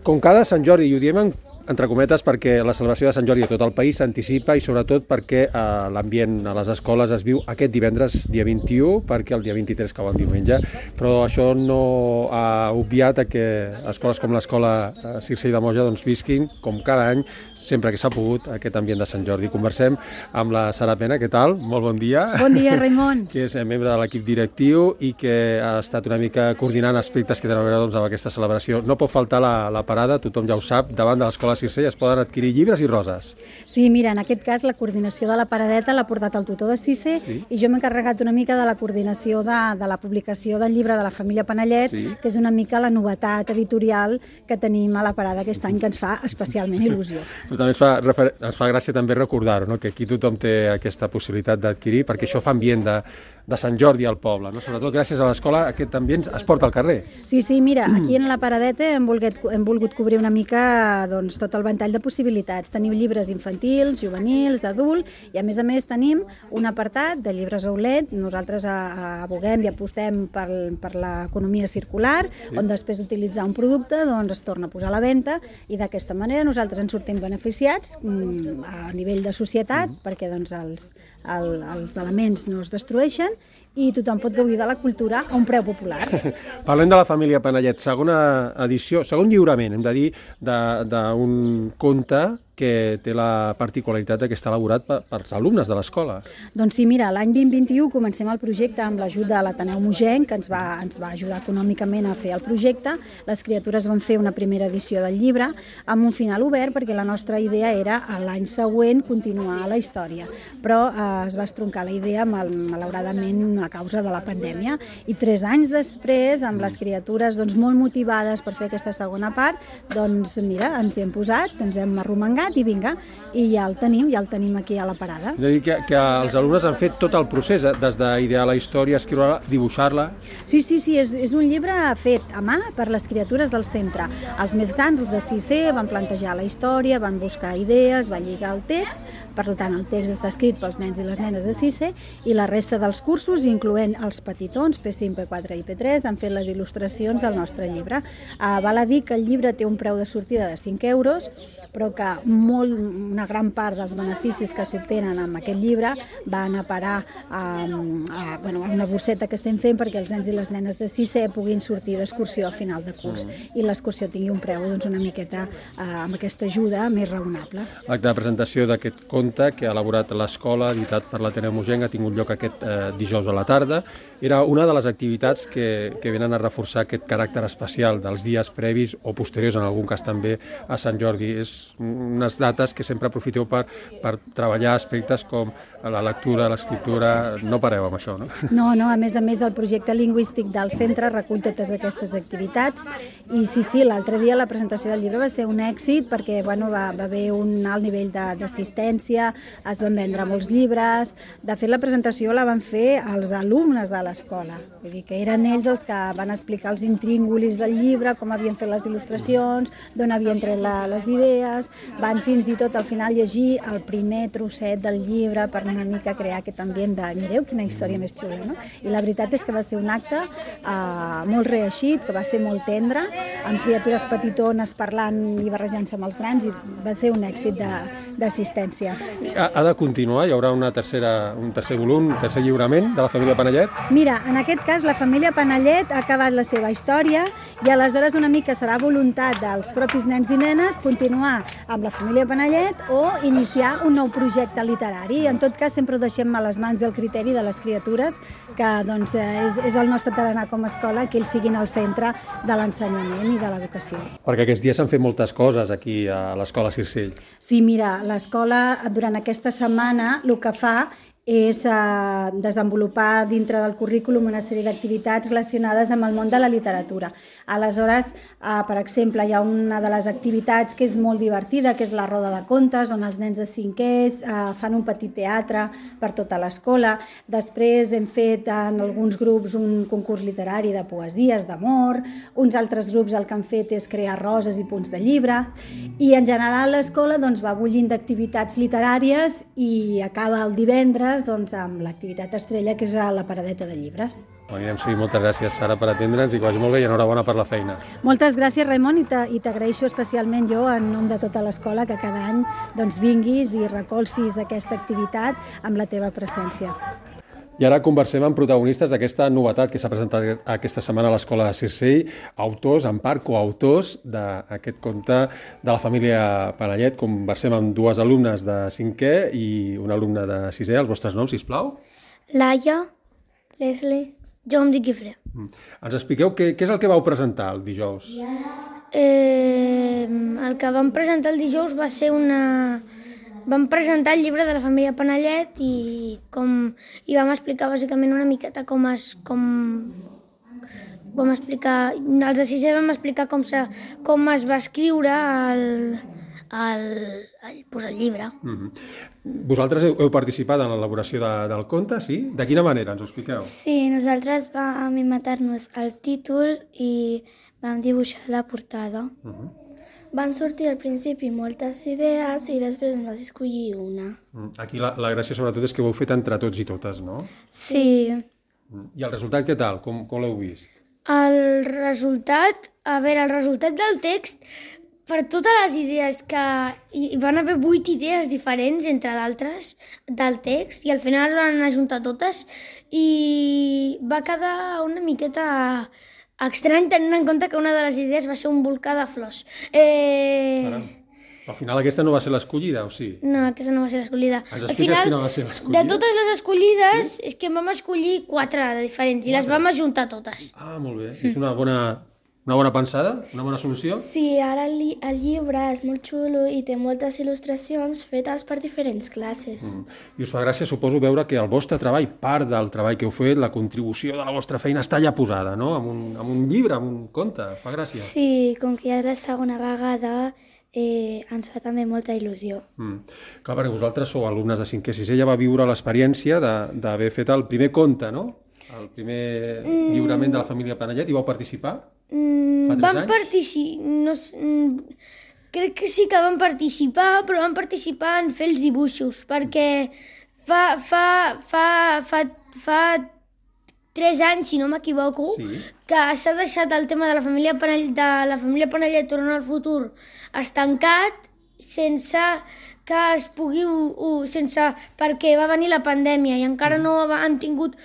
Com cada Sant Jordi, i ho diem entre cometes perquè la celebració de Sant Jordi a tot el país s'anticipa i sobretot perquè l'ambient a les escoles es viu aquest divendres dia 21, perquè el dia 23 cau el diumenge, però això no ha obviat que escoles com l'escola Circell de Moja doncs visquin, com cada any, sempre que s'ha pogut, aquest ambient de Sant Jordi. Conversem amb la Sara Pena, què tal? Molt bon dia. Bon dia, Raimon. Que és membre de l'equip directiu i que ha estat una mica coordinant aspectes que tenen a veure doncs, amb aquesta celebració. No pot faltar la parada, tothom ja ho sap, davant de l'escola Circell es poden adquirir llibres i roses. Sí, mira, en aquest cas la coordinació de la paradeta l'ha portat el tutor de Cisse i jo m'he encarregat una mica de la coordinació de la publicació del llibre de la família Panellet, que és una mica la novetat editorial que tenim a la parada aquest any, que ens fa especialment il·lusió. Però també ens fa gràcia també recordar-ho, no? Que aquí tothom té aquesta possibilitat d'adquirir, perquè això fa ambient de Sant Jordi al poble, no? Sobretot gràcies a l'escola aquest ambient es porta al carrer. Sí, mira, aquí en la paradeta hem volgut cobrir una mica doncs, tot el ventall de possibilitats. Tenim llibres infantils, juvenils, d'adult, i a més tenim un apartat de llibres Oulet. Nosaltres aboguem i apostem per l'economia circular, on després d'utilitzar un producte doncs, es torna a posar a la venda, i d'aquesta manera nosaltres en sortim beneficiats a nivell de societat, perquè doncs, els elements no es destrueixen i tothom pot gaudir de la cultura a un preu popular. Parlem de la família Panellet, segona edició, segon lliurament, hem de dir, d'un conte que té la particularitat que està elaborat pels alumnes de l'escola. Doncs sí, mira, l'any 2021 comencem el projecte amb l'ajuda de l'Ateneu Mogenc, que ens va ajudar econòmicament a fer el projecte. Les criatures van fer una primera edició del llibre amb un final obert, perquè la nostra idea era l'any següent continuar la història. Però es va estroncar la idea, malauradament, a causa de la pandèmia. I 3 anys després, amb les criatures doncs, molt motivades per fer aquesta segona part, doncs mira, ens hi hem posat, ens hem arromangat i vinga, i ja el tenim aquí a la parada. És a dir, que els alumnes han fet tot el procés, des d'idear la història, escriure-la, dibuixar-la. Sí, és un llibre fet a mà per les criatures del centre. Els més grans, els de 6è, van plantejar la història, van buscar idees, van lligar el text, per tant el text està escrit pels nens i les nenes de 6è, i la resta dels cursos, incloent els petitons, P5, P4 i P3, han fet les il·lustracions del nostre llibre. Val a dir que el llibre té un preu de sortida de 5 euros, però que una gran part dels beneficis que s'obtenen amb aquest llibre van a parar a una bosseta que estem fent perquè els nens i les nenes de 6è puguin sortir d'excursió a final de curs i l'excursió tingui un preu una miqueta amb aquesta ajuda més raonable. L'acte de presentació d'aquest conte que ha elaborat l'escola, editat per l'Ateneu Mogenc, ha tingut lloc aquest dijous a la tarda. Era una de les activitats que venen a reforçar aquest caràcter especial dels dies previs o posteriors, en algun cas també, a Sant Jordi. És unes dates que sempre aprofiteu per treballar aspectes com la lectura, l'escriptura. No pareu amb això, no? No, a més el projecte lingüístic del centre recull totes aquestes activitats i sí, l'altre dia la presentació del llibre va ser un èxit perquè va haver un alt nivell d'assistència, es van vendre molts llibres. De fet, la presentació la van fer els alumnes de l'escola, vull dir que eren ells els que van explicar els intríngulis del llibre, com havien fet les il·lustracions, d'on havien tret les idees, van fins i tot al final llegir el primer trosset del llibre per una mica crear aquest ambient de mireu quina història més xula, no? I la veritat és que va ser un acte molt reeixit, que va ser molt tendre, amb criatures petitones parlant i barrejant-se amb els grans, i va ser un èxit d'assistència. Ha de continuar? Hi haurà un tercer volum, un tercer lliurament de la família Panellet? Mira, en aquest cas la família Panellet ha acabat la seva història i aleshores una mica serà voluntat dels propis nens i nenes continuar amb la família Panellet o iniciar un nou projecte literari. En tot cas, sempre ho deixem a les mans del criteri de les criatures, que doncs, és el nostre tarannà com a escola, que ells siguin al centre de l'ensenyament i de l'educació. Perquè aquests dies s'han fet moltes coses aquí a l'escola Circell. Sí, mira, l'escola durant aquesta setmana el que fa és desenvolupar dintre del currículum una sèrie d'activitats relacionades amb el món de la literatura. Aleshores, per exemple, hi ha una de les activitats que és molt divertida, que és la roda de contes, on els nens de 5è fan un petit teatre per tota l'escola. Després hem fet en alguns grups un concurs literari de poesies, d'amor. Uns altres grups el que han fet és crear roses i punts de llibre. I en general l'escola va bullint d'activitats literàries i acaba el divendres amb l'activitat estrella, que és la paradeta de llibres. Ho anirem seguint. Moltes gràcies, Sara, per atendre'ns i que vagi molt bé i enhorabona per la feina. Moltes gràcies, Raimon, i t'agraeixo especialment jo, en nom de tota l'escola, que cada any vinguis i recolzis aquesta activitat amb la teva presència. I ara conversem amb protagonistes d'aquesta novetat que s'ha presentat aquesta setmana a l'Escola de Circell, autors, en part coautors d'aquest conte de la família Panellet. Conversem amb dues alumnes de 5è i un alumne de 6è. Els vostres noms, sisplau. Laia, Leslie, jo em dic Guifré. Ens expliqueu què és el que vau presentar el dijous? El que vam presentar el dijous va ser Vam presentar el llibre de la família Panellet i vam explicar bàsicament una miqueta els de 6è vam explicar com es va escriure el llibre. Vosaltres heu participat en l'elaboració del conte, sí? De quina manera? Ens ho expliqueu? Sí, nosaltres vam inventar-nos el títol i vam dibuixar la portada. Van sortir al principi moltes idees i després en vas escollir una. Aquí la gràcia sobretot és que ho heu fet entre tots i totes, no? Sí. I el resultat què tal? Com l'heu vist? El resultat del text, per totes les idees que hi van haver 8 idees diferents, entre d'altres, del text, i al final es van ajuntar totes, i va quedar una miqueta estrany tenint en compte que una de les idees va ser un volcà de flors. Al final aquesta no va ser l'escollida, o sí? No, aquesta no va ser l'escollida. Ens expliques quina va ser l'escollida? De totes les escollides, és que en vam escollir 4 de diferents i les vam ajuntar totes. Ah, molt bé. És una bona pensada? Una bona solució? Sí, ara el llibre és molt xulo i té moltes il·lustracions fetes per diferents classes. I us fa gràcia, suposo, veure que el vostre treball, part del treball que heu fet, la contribució de la vostra feina està ja posada, no? Amb un llibre, amb un conte. Us fa gràcia? Sí, com que ja és la segona vegada, ens fa també molta il·lusió. Clar, perquè vosaltres sou alumnes de 5è i 6è, ja va viure l'experiència d'haver fet el primer conte, no? El primer lliurament de la família Panellet, i vau participar? Vam participar... Crec que sí que vam participar, però vam participar en fer els dibuixos, perquè fa 3 anys, si no m'equivoco, que s'ha deixat el tema de la família Panellet tornar al futur estancat sense que es pugui... perquè va venir la pandèmia i encara no han tingut...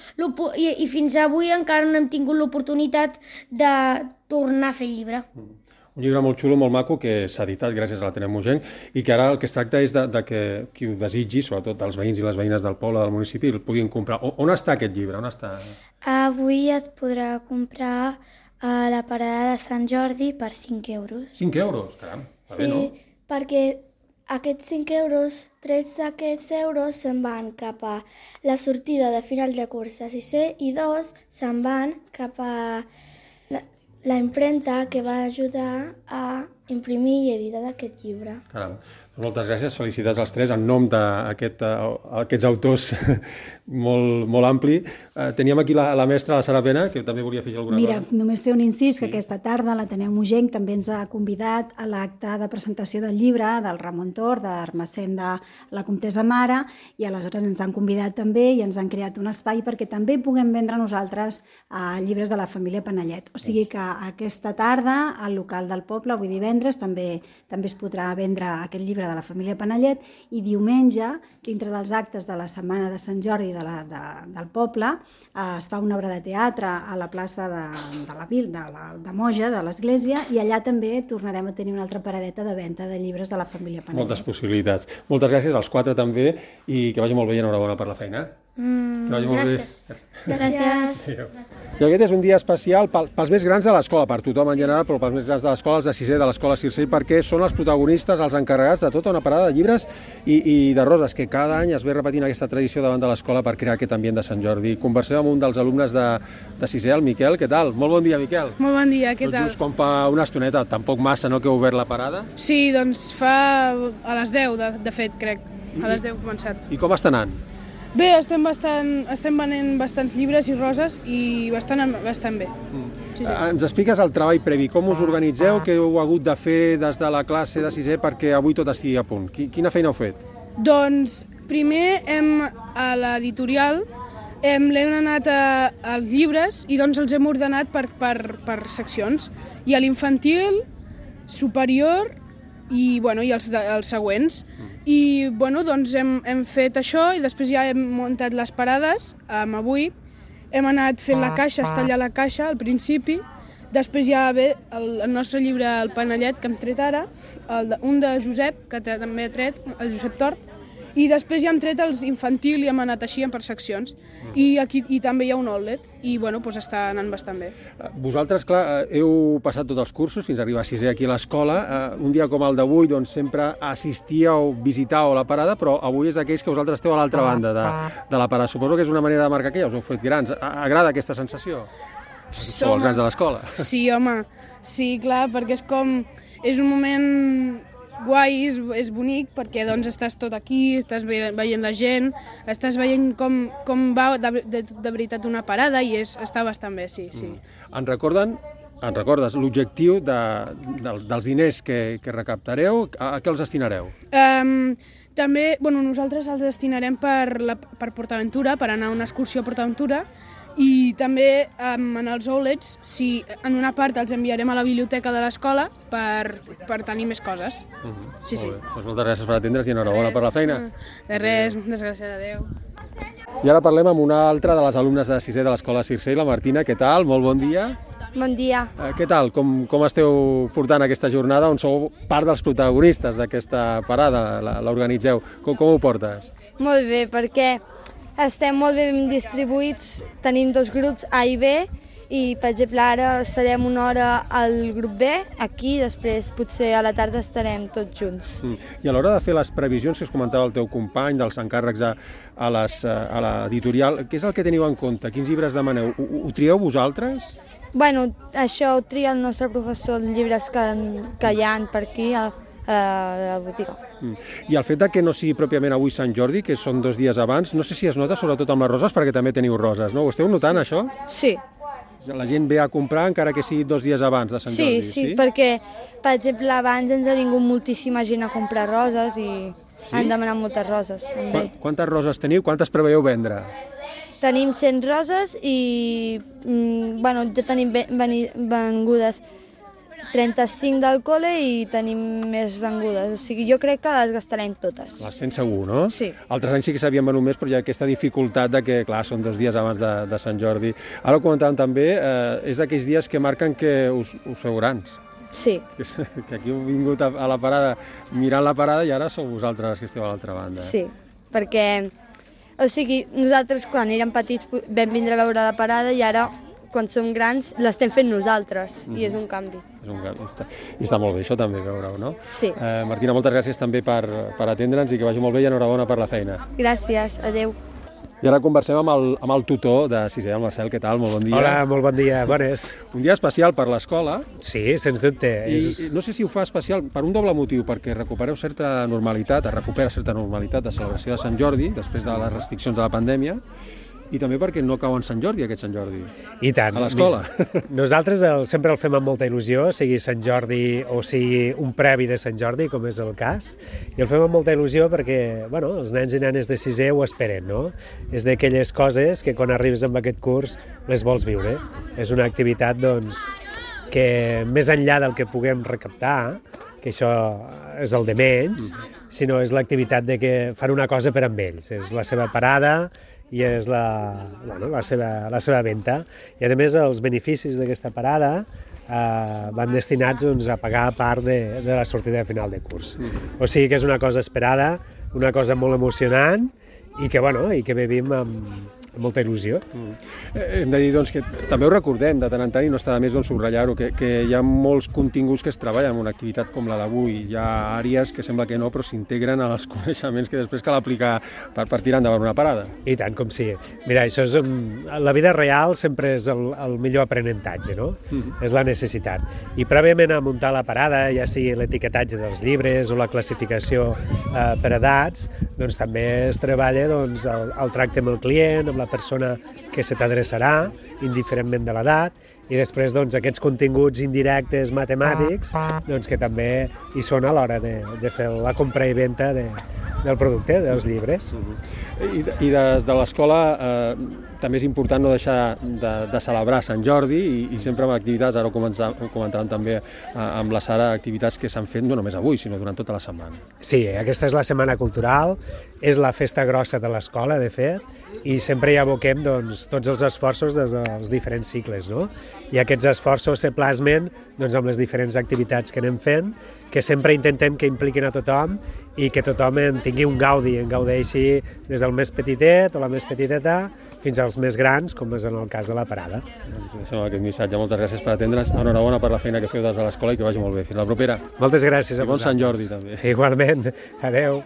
I fins avui encara no hem tingut l'oportunitat de tornar a fer el llibre. Un llibre molt xulo, molt maco, que s'ha editat gràcies a l'Ateneu Mogenc i que ara el que es tracta és de que qui ho desitgi, sobretot els veïns i les veïnes del poble, del municipi, el puguin comprar. On està aquest llibre? On està? Avui es podrà comprar a la parada de Sant Jordi per 5 euros. 5 euros? Caram, va bé, no? Sí, perquè aquests 5 euros, 3 d'aquests euros se'n van cap a la sortida de final de curs a 6è i 2 se'n van cap a la impremta que va ajudar a imprimir i editar aquest llibre. Caram. Moltes gràcies, felicitats als 3 en nom d'aquests autors molt ampli. Teníem aquí la mestra, la Sara Pena, que també volia afegir alguna cosa. Mira, només fer un incís, que aquesta tarda l'Ateneu Mogenc també ens ha convidat a l'acte de presentació del llibre del Ramon Tor, d'Ermessenda, la comtessa Mare, i aleshores ens han convidat també i ens han creat un espai perquè també puguem vendre nosaltres llibres de la família Panellet. O sigui que aquesta tarda, al local del poble, avui divendres, també es podrà vendre aquest llibre de la família Panellet, i diumenge, dintre dels actes de la setmana de Sant Jordi del poble, es fa una obra de teatre a la plaça de Moja, de l'església, i allà també tornarem a tenir una altra paradeta de venda de llibres de la família Panellet. Moltes possibilitats. Moltes gràcies als 4 també, i que vagi molt bé i enhorabona per la feina. Gràcies. Gràcies. I aquest és un dia especial pels més grans de l'escola, per tothom en general, però pels més grans de l'escola, els de 6è de l'escola Circell, perquè són els protagonistes, els encarregats de tota una parada de llibres i de roses, que cada any es ve repetint aquesta tradició davant de l'escola per crear aquest ambient de Sant Jordi. Conversem amb un dels alumnes de 6è, el Miquel. Què tal? Molt bon dia, Miquel. Molt bon dia, què tal? Just com fa una estoneta, tampoc massa, no?, que heu obert la parada? Sí, doncs fa a les 10, de fet, crec. A les 10 hem començat. I com està anant? Bé, estem venent bastants llibres i roses i bastant bé. Sí. Ens expliques el treball previ, com us organitzeu, què heu hagut de fer des de la classe de 6è perquè avui tot estigui a punt? Quina feina heu fet? Doncs primer a l'editorial L'hem anat als llibres i doncs els hem ordenat per seccions. Hi ha l'infantil, superior i els següents. I doncs hem fet això i després ja hem muntat les parades. Avui hem anat fent la caixa, estallar la caixa al principi. Després ja ve el nostre llibre El Panellet, que hem tret ara, un de Josep, que també ha tret, el Josep Tort, i després ja hem tret els infantil i hem anat així per seccions. I també hi ha un outlet i està anant bastant bé. Vosaltres, clar, heu passat tots els cursos fins a arribar a 6è aquí a l'escola. Un dia com el d'avui sempre assistíeu, visitàveu la parada, però avui és d'aquells que vosaltres esteu a l'altra banda de la parada. Suposo que és una manera de marcar que ja us heu fet grans. Agrada aquesta sensació? Sou els grans de l'escola. Sí, home, sí, clar, perquè és un moment guai, és bonic, perquè estàs tot aquí, estàs veient la gent, estàs veient com va de veritat una parada i està bastant bé, sí. Ens recordes l'objectiu dels diners que recaptareu, a què els destinareu? També, nosaltres els destinarem per PortAventura, per anar a una excursió a PortAventura, i també en els outlets, en una part els enviarem a la biblioteca de l'escola per tenir més coses. Sí. Moltes gràcies per atendre's i enhorabona per la feina. De res, desgràcies, adéu. I ara parlem amb una altra de les alumnes de 6è de l'escola Circell, la Martina. Què tal? Molt bon dia. Bon dia. Què tal? Com esteu portant aquesta jornada on sou part dels protagonistes d'aquesta parada? L'organitzeu. Com ho portes? Molt bé, perquè estem molt ben distribuïts, tenim 2 grups, A i B, i per exemple ara serem una hora al grup B, aquí, després potser a la tarda estarem tots junts. I a l'hora de fer les previsions que us comentava el teu company, dels encàrrecs a l'editorial, què és el que teniu en compte? Quins llibres demaneu? Ho trieu vosaltres? Bueno, això ho tria el nostre professor, els llibres que hi ha per aquí, a la botiga. I el fet que no sigui pròpiament avui Sant Jordi, que són 2 dies abans, no sé si es nota sobretot amb les roses, perquè també teniu roses, no? Ho esteu notant, això? Sí. La gent ve a comprar encara que sigui 2 dies abans de Sant Jordi, sí? Sí, perquè, per exemple, abans ens ha vingut moltíssima gent a comprar roses i han demanat moltes roses, també. Quantes roses teniu? Quantes preveieu vendre? Tenim 100 roses i ja tenim vengudes 35 del col·le i tenim més vengudes. O sigui, jo crec que les gastarem totes. Les 100 segur, no? Sí. Altres anys sí que s'havien venut més, però hi ha aquesta dificultat de que, clar, són 2 dies abans de Sant Jordi. Ara ho comentàvem també, és d'aquells dies que marquen que us feu grans. Sí. Que aquí heu vingut a la parada, mirant la parada, i ara sou vosaltres que esteu a l'altra banda. Sí, perquè, o sigui, nosaltres quan érem petits vam vindre a veure la parada i ara, quan som grans, l'estem fent nosaltres, i és un canvi. És un canvi, i està molt bé, això també, veureu, no? Sí. Martina, moltes gràcies també per atendre'ns i que vagi molt bé i enhorabona per la feina. Gràcies, adeu. I ara conversem amb el tutor de 6è, el Marcel. Què tal? Molt bon dia. Hola, molt bon dia, bones. Un dia especial per l'escola. Sí, sens dubte. I no sé si ho fa especial per un doble motiu, perquè recupereu certa normalitat, recupera certa normalitat de celebració de Sant Jordi, després de les restriccions de la pandèmia, i també perquè no cau en Sant Jordi, aquest Sant Jordi. I tant. A l'escola. Nosaltres sempre el fem amb molta il·lusió, sigui Sant Jordi o sigui un previ de Sant Jordi, com és el cas. I el fem amb molta il·lusió perquè, els nens i nenes de 6è ho esperen, no? És d'aquelles coses que quan arribes amb aquest curs les vols viure. És una activitat, que més enllà del que puguem recaptar, que això és el de menys, sinó és l'activitat de que fan una cosa per amb ells. És la seva parada i és la seva venda. I a més els beneficis d'aquesta parada van destinats a pagar part de la sortida final de curs. O sigui que és una cosa esperada, una cosa molt emocionant i que vivim amb molta il·lusió. Hem de dir que també ho recordem de tant en tant i no està de més subratllar-ho, que hi ha molts continguts que es treballen en una activitat com la d'avui. Hi ha àrees que sembla que no, però s'integren als coneixements que després cal aplicar per tirar endavant una parada. I tant, com sí. Mira, això és la vida real sempre és el millor aprenentatge, no? És la necessitat. I prèviament a muntar la parada, ja sigui l'etiquetatge dels llibres o la classificació per edats, també es treballa el tracte amb el client, amb la persona que se t'adreçarà, indiferentment de l'edat, i després aquests continguts indirectes matemàtics que també hi són a l'hora de fer la compra i venda del producte, dels llibres. I des de l'escola també és important no deixar de celebrar Sant Jordi i sempre amb activitats, ara ho comentàvem també amb la Sara, activitats que s'han fet no només avui, sinó durant tota la setmana. Sí, aquesta és la Setmana Cultural, és la festa grossa de l'escola, de fet, i sempre hi aboquem tots els esforços des dels diferents cicles, no? I aquests esforços se plasmen amb les diferents activitats que anem fent, que sempre intentem que impliquin a tothom i que tothom en tingui un gaudi, en gaudeixi des del més petitet o la més petiteta fins als més grans, com és en el cas de la parada. Deixem aquest missatge. Moltes gràcies per atendre'ns. Enhorabona per la feina que feu des de l'escola i que vagi molt bé. Fins la propera. Moltes gràcies a vosaltres. Bon Sant Jordi, també. Igualment. Adeu.